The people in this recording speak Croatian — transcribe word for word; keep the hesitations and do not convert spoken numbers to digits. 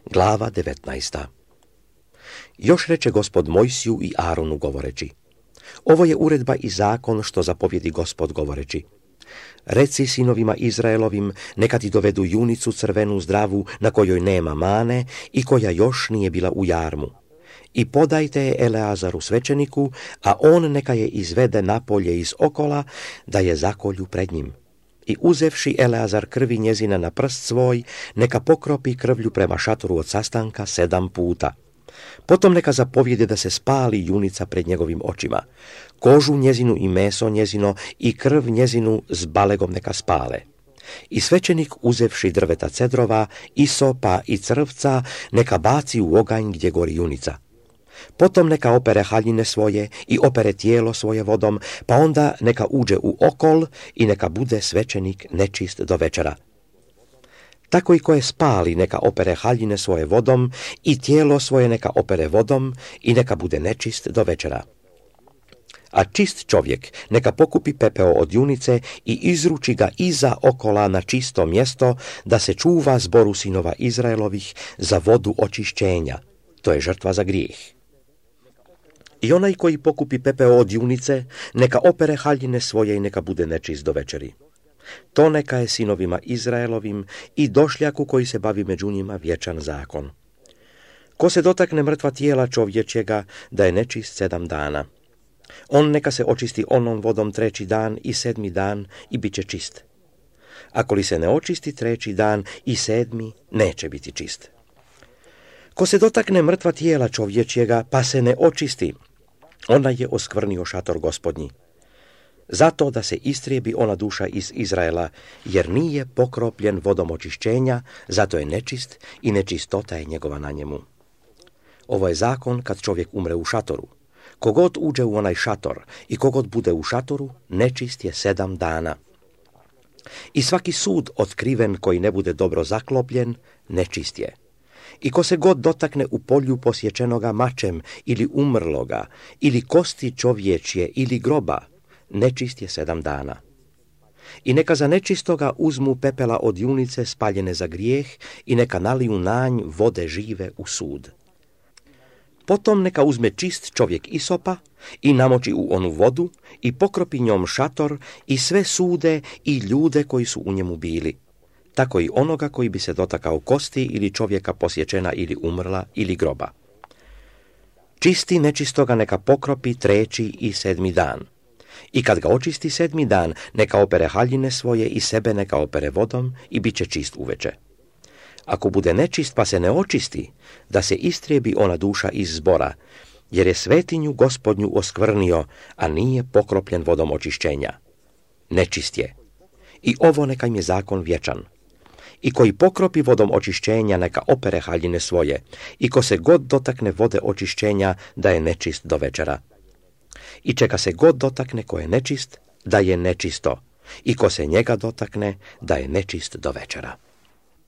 Glava devetnaesta. Još reče Gospod Mojsiju i Aronu govoreći: ovo je uredba i zakon što zapovjedi Gospod govoreći: reci sinovima Izraelovim, neka ti dovedu junicu crvenu zdravu na kojoj nema mane i koja još nije bila u jarmu. I podajte je Eleazaru svećeniku, a on neka je izvede napolje iz okola, da je zakolju pred njim. I uzevši Eleazar krvi njezina na prst svoj, neka pokropi krvlju prema šatoru od sastanka sedam puta. Potom neka zapovjede da se spali junica pred njegovim očima. Kožu njezinu i meso njezino i krv njezinu s balegom neka spale. I svećenik, uzevši drveta cedrova, isopa i crvca, neka baci u oganj gdje gori junica. Potom neka opere haljine svoje i opere tijelo svoje vodom, pa onda neka uđe u okol i neka bude svećenik nečist do večera. Tako i koje spali neka opere haljine svoje vodom i tijelo svoje neka opere vodom i neka bude nečist do večera. A čist čovjek neka pokupi pepeo od junice i izruči ga iza okola na čisto mjesto, da se čuva zboru sinova Izraelovih za vodu očišćenja. To je žrtva za grijeh. I onaj koji pokupi pepeo od junice, neka opere haljine svoje i neka bude nečist do večeri. To neka je sinovima Izraelovim i došljaku koji se bavi među njima vječan zakon. Ko se dotakne mrtva tijela čovječjega, da je nečist sedam dana. On neka se očisti onom vodom treći dan i sedmi dan i bit će čist. Ako li se ne očisti treći dan i sedmi, neće biti čist. Ko se dotakne mrtva tijela čovječjega, pa se ne očisti, ona je oskvrnio šator Gospodnji. Zato da se istrijebi ona duša iz Izraela, jer nije pokropljen vodom očišćenja, zato je nečist i nečistota je njegova na njemu. Ovo je zakon kad čovjek umre u šatoru. Kogod uđe u onaj šator i kogod bude u šatoru, nečist je sedam dana. I svaki sud otkriven koji ne bude dobro zaklopljen, nečist je. I ko se god dotakne u polju posječenoga mačem ili umrloga, ili kosti čovječje ili groba, nečist je sedam dana. I neka za nečistoga uzmu pepela od junice spaljene za grijeh i neka naliju na nj vode žive u sud. Potom neka uzme čist čovjek isopa i namoči u onu vodu i pokropi njom šator i sve sude i ljude koji su u njemu bili. Tako i onoga koji bi se dotakao kosti ili čovjeka posječena ili umrla ili groba. Čisti nečistoga neka pokropi treći i sedmi dan. I kad ga očisti sedmi dan, neka opere haljine svoje i sebe neka opere vodom i bit će čist uveče. Ako bude nečist pa se ne očisti, da se istrijebi ona duša iz zbora, jer je svetinju Gospodnju oskvrnio, a nije pokropljen vodom očišćenja. Nečist je. I ovo neka im je zakon vječan. I koji pokropi vodom očišćenja neka opere haljine svoje, i ko se god dotakne vode očišćenja da je nečist do večera. I čeka se god dotakne ko je nečist, da je nečisto, i ko se njega dotakne, da je nečist do večera.